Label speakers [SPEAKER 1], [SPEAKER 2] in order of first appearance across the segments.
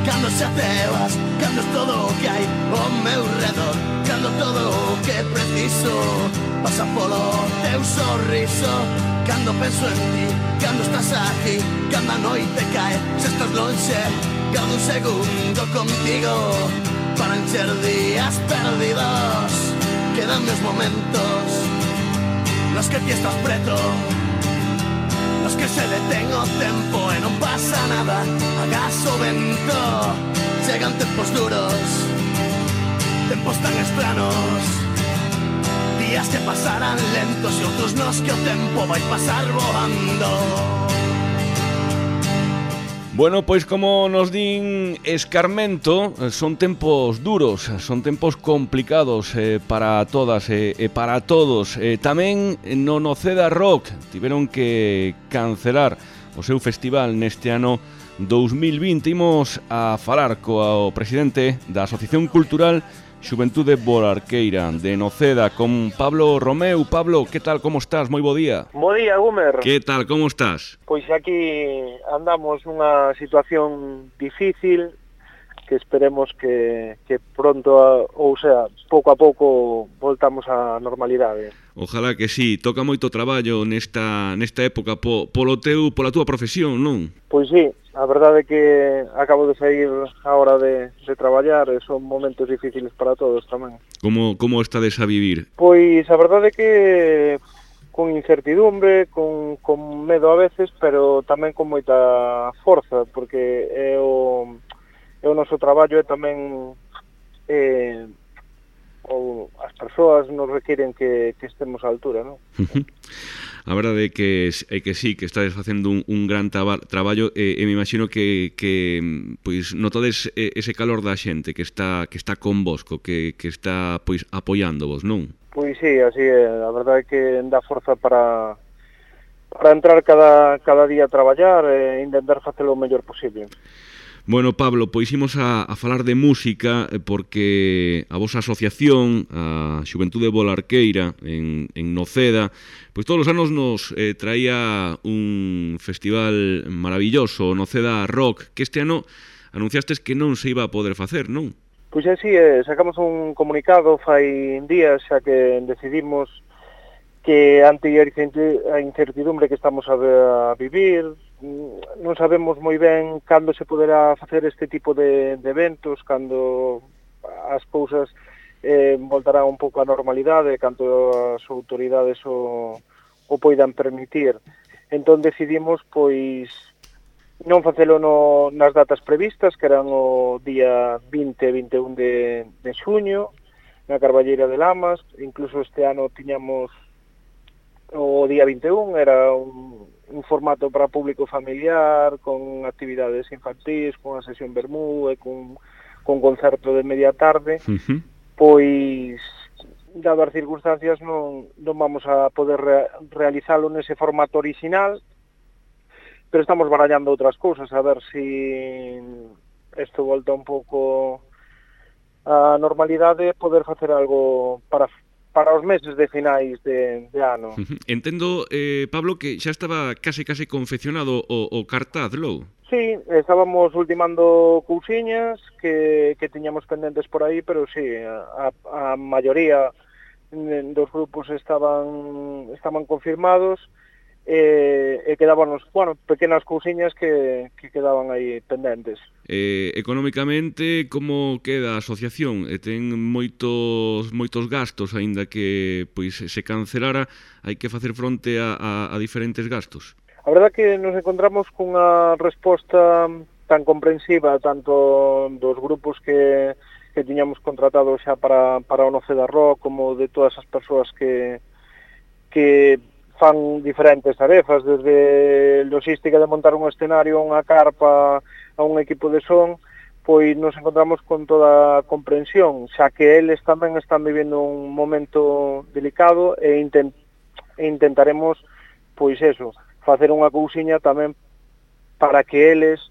[SPEAKER 1] cando xa te vas, cando es todo o que hai ao meu redor, cando todo o que preciso pasa polo teu sorriso, cando penso en ti, cando estás aquí, cando a noite cae, se estás lonxe, cada un segundo contigo, para encher días perdidos, quedan meus momentos, nos que ti estás preto, nos que se detén o tempo e non pasa nada, agas o vento, chegan tempos duros, tempos tan estranos, días que pasarán lentos e outros nos que o tempo vai pasar voando.
[SPEAKER 2] Bueno, pois como nos din Escarmento, son tempos duros, son tempos complicados para todas e para todos. Tamén no Noceda Rock tiveron que cancelar o seu festival neste ano 2020. Imos a falar co presidente da Asociación Cultural Xuventude Bolarqueira de Noceda, con Pablo Romeu. Pablo, que tal, como estás? Moi bo día.
[SPEAKER 3] Bo día, Gumer.
[SPEAKER 2] Que tal, como estás?
[SPEAKER 3] Pois aquí andamos nunha situación difícil que esperemos que pronto, ou sea, pouco a pouco voltamos á normalidade.
[SPEAKER 2] Ojalá que sí, toca moito traballo nesta época pola túa profesión, non?
[SPEAKER 3] Pois sí, a verdade é que acabo de sair a hora de traballar e son momentos difíciles para todos tamén.
[SPEAKER 2] Como estades a vivir?
[SPEAKER 3] Pois a verdade é que con incertidumbre, con medo a veces, pero tamén con moita forza, porque é o noso traballo e tamén as persoas nos requiren que estemos á altura, non?
[SPEAKER 2] A verdade é que sí, que estades facendo un gran traballo e me imagino que pois notades ese calor da xente que está convosco, que está pois apoiándovos, non?
[SPEAKER 3] Pois sí, así é, a verdade é que dá forza para entrar cada día a traballar e intentar facelo o mellor posible.
[SPEAKER 2] Bueno, Pablo, pois imos a falar de música porque a vosa asociación, a Xuventude Bolarqueira en Noceda, pois todos os anos nos traía un festival maravilloso, Noceda Rock, que este ano anunciastes que non se iba a poder facer, non?
[SPEAKER 3] Pois así, sacamos un comunicado fai días xa que decidimos que ante a incertidumbre que estamos a vivir, non sabemos moi ben cando se poderá facer este tipo de eventos, cando as cousas voltarán un pouco á normalidade, cando as autoridades o poidan permitir. Entón decidimos pois non facelo nas datas previstas, que eran o día 20 e 21 de xuño, na Carballeira de Lamas. Incluso este ano tiñamos o día 21, era un formato para público familiar, con actividades infantís, con a sesión vermú e con concerto de media tarde. Pois, dadas as circunstancias, non vamos a poder realizalo nese formato original, pero estamos barallando outras cousas, a ver se isto volta un pouco á normalidade, poder facer algo para os meses de finais de ano.
[SPEAKER 2] Entendo, Pablo, que xa estaba case confeccionado o cartaz, logo?
[SPEAKER 3] Sí, estábamos ultimando cousiñas que tiñamos pendentes por aí, pero sí, a maioría dos grupos estaban confirmados e quedábanos, pequenas cousiñas que quedaban aí pendentes.
[SPEAKER 2] Económicamente, como queda a asociación? Ten moitos gastos, aínda que pois se cancelara, hai que facer fronte a diferentes gastos.
[SPEAKER 3] A verdade que nos encontramos cunha resposta tan comprensiva tanto dos grupos que tiñamos contratado xa para o Noceda Rock, como de todas as persoas que fan diferentes tarefas, desde logística de montar un escenario, unha carpa, a un equipo de son, pois nos encontramos con toda a comprensión, xa que eles tamén están vivendo un momento delicado e intentaremos, pois eso, facer unha cousiña tamén para que eles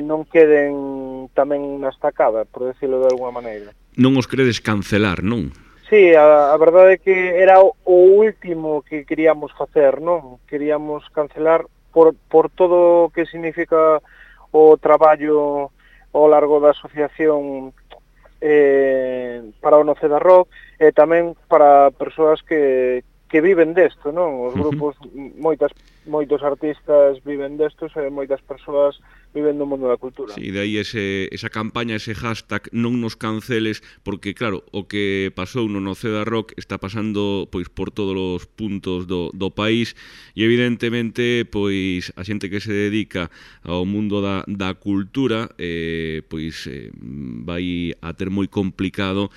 [SPEAKER 3] non queden tamén na estacada, por decirlo de alguma maneira.
[SPEAKER 2] Non os credes cancelar, non?
[SPEAKER 3] Sí, a verdade é que era o último que queríamos facer, non? Queríamos cancelar por todo o que significa o traballo ao largo da asociación para o Noceda Rock, e tamén para persoas que viven desto, non? Os grupos, moitos artistas viven destos e moitas persoas viven do mundo da cultura.
[SPEAKER 2] Sí, de aí esa campaña, ese hashtag non nos canceles, porque claro, o que pasou no Noceda Rock está pasando pois por todos os puntos do país, e evidentemente pois a xente que se dedica ao mundo da cultura pois vai a ter moi complicado,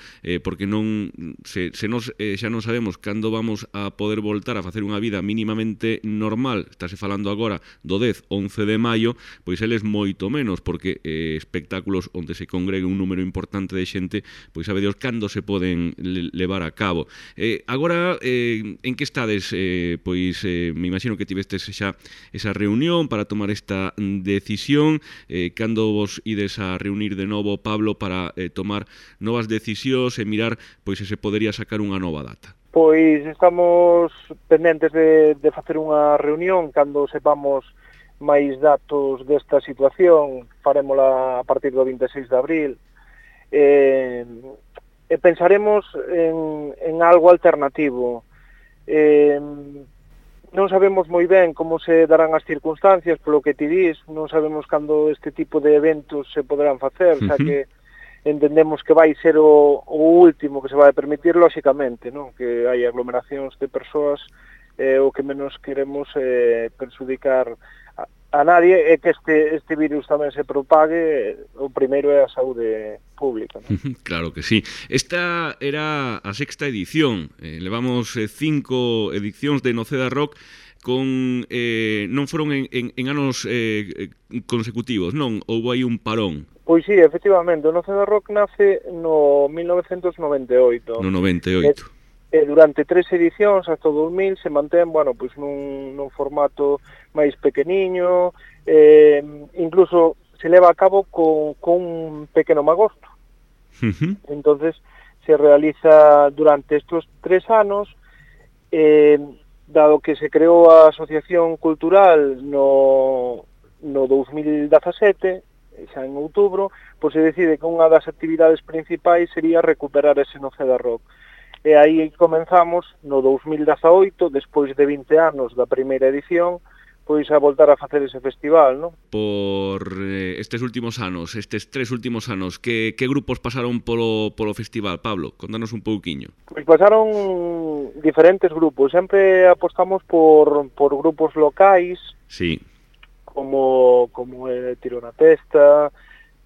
[SPEAKER 2] porque non xa non sabemos cando vamos a poder voltar a facer unha vida mínimamente normal. Estáse falando agora do 10, 11 de maio, pois eles moito menos, porque espectáculos onde se congregue un número importante de xente, pois sabe Dios cando se poden levar a cabo. Agora, en que estades? Pois me imagino que tivestes xa esa reunión para tomar esta decisión. Cando vos ides a reunir de novo, Pablo, para tomar novas decisións e mirar pois se podería sacar unha nova data?
[SPEAKER 3] Pois estamos pendentes de facer unha reunión cando sepamos máis datos desta situación. Farémola a partir do 26 de abril, e pensaremos en algo alternativo. Non sabemos moi ben como se darán as circunstancias, polo que ti dis, non sabemos cando este tipo de eventos se poderán facer, xa que entendemos que vai ser o último que se vai permitir, lóxicamente, non? Que hai aglomeracións de persoas, o que menos queremos perjudicar a nadie, é que este virus tamén se propague. O primeiro é a saúde pública, non?
[SPEAKER 2] Claro que sí. Esta era a sexta edición. Levamos 5 edicións de Noceda Rock con non foron en anos consecutivos, non? Houbo aí un parón.
[SPEAKER 3] Pois sí, efectivamente, o Noceda Rock nace no 1998.
[SPEAKER 2] No 98.
[SPEAKER 3] E durante 3 edicións hasta o 2000 se mantén, bueno, pois nun formato máis pequeniño, incluso se leva a cabo con un pequeno magosto. Entonces se realiza durante estos 3 anos, dado que se creou a Asociación Cultural no 2017, xa en outubro, pois se decide que unha das actividades principais sería recuperar ese Noceda Rock. E aí comenzamos no 2018, despois de 20 anos da primeira edición, pois a voltar a facer ese festival, non?
[SPEAKER 2] Por estes últimos anos, estes 3 últimos anos, que grupos pasaron polo festival, Pablo? Contanos un pouquiño.
[SPEAKER 3] Pois pasaron diferentes grupos, sempre apostamos por grupos locais,
[SPEAKER 2] sí,
[SPEAKER 3] como Tiro na Testa,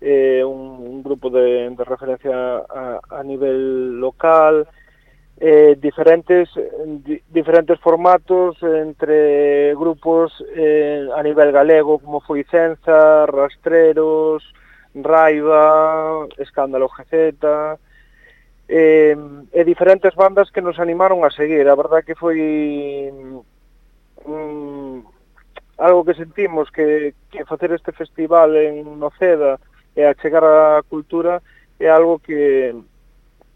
[SPEAKER 3] un grupo de referencia a nivel local, diferentes formatos entre grupos a nivel galego, como foi Cenza, Rastreros, Raiva, Escándalo GZ, e diferentes bandas que nos animaron a seguir. A verdad que foi algo que sentimos que facer este festival en Noceda e achegar a cultura é algo que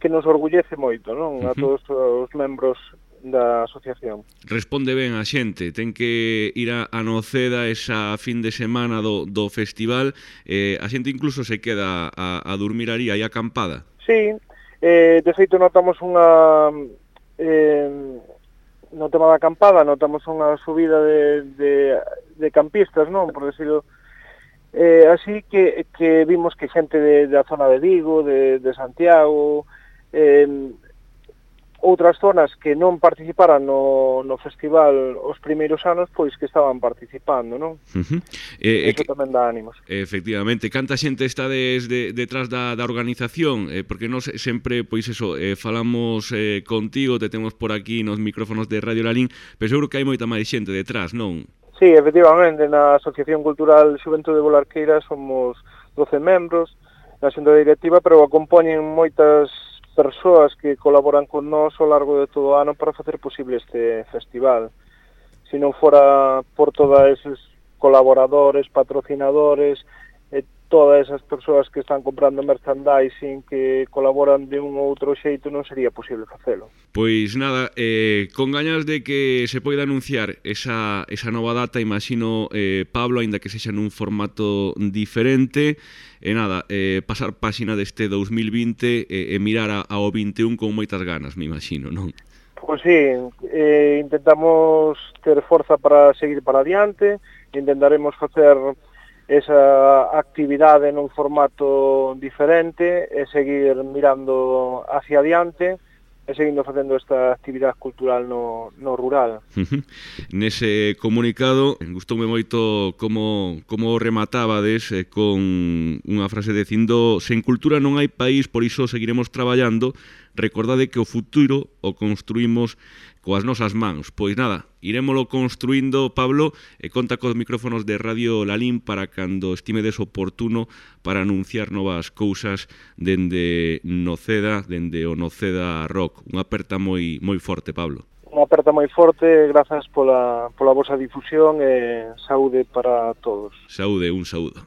[SPEAKER 3] nos orgullece moito, non? A todos os membros da asociación.
[SPEAKER 2] Responde ben a xente, ten que ir a Noceda esa fin de semana do festival, a xente incluso se queda a dormir aí acampada.
[SPEAKER 3] Sí, de feito notamos unha no tema da acampada, notamos unha subida de campistas, non? Por decirlo así, que vimos que xente da zona de Vigo, de Santiago, outras zonas que non participaran no festival os primeiros anos, pois que estaban participando, non? Eso tamén dá ánimos.
[SPEAKER 2] Efectivamente. Canta xente está detrás da organización? Porque nós sempre, pois eso, falamos contigo, te temos por aquí nos micrófonos de Radio Lalín, pero seguro que hai moita máis xente detrás, non?
[SPEAKER 3] Sí, efectivamente, na Asociación Cultural Xuventude de Bolarqueira somos 12 membros na xunta directiva, pero acompañen moitas persoas que colaboran con nós ao largo de todo o ano para facer posible este festival. Se non fora por todos eses colaboradores, patrocinadores todas esas persoas que están comprando merchandising que colaboran de un ou outro xeito non sería posible facelo.
[SPEAKER 2] Pois nada, con gañas de que se poida anunciar esa nova data, imagino, Pablo, aínda que sexa nun formato diferente, e nada, pasar páxina deste 2020 e mirar ao 21 con moitas ganas, me imagino, non?
[SPEAKER 3] Pois sí, intentamos ter forza para seguir para adiante, intentaremos facer esa actividade nun formato diferente e seguir mirando hacia adiante e seguindo facendo esta actividade cultural no rural.
[SPEAKER 2] Nese comunicado gustoume moito como rematábades con unha frase dicindo: sen cultura non hai país, por iso seguiremos traballando, recordade que o futuro o construímos coas nosas mans. Pois nada, irémolo construindo, Pablo, e conta cos micrófonos de Radio Lalín para cando estimedes oportuno para anunciar novas cousas dende Noceda, dende o Noceda Rock. Unha aperta moi forte, Pablo.
[SPEAKER 3] Unha aperta moi forte, grazas pola vosa difusión e saúde para todos.
[SPEAKER 2] Saúde, un saúdo.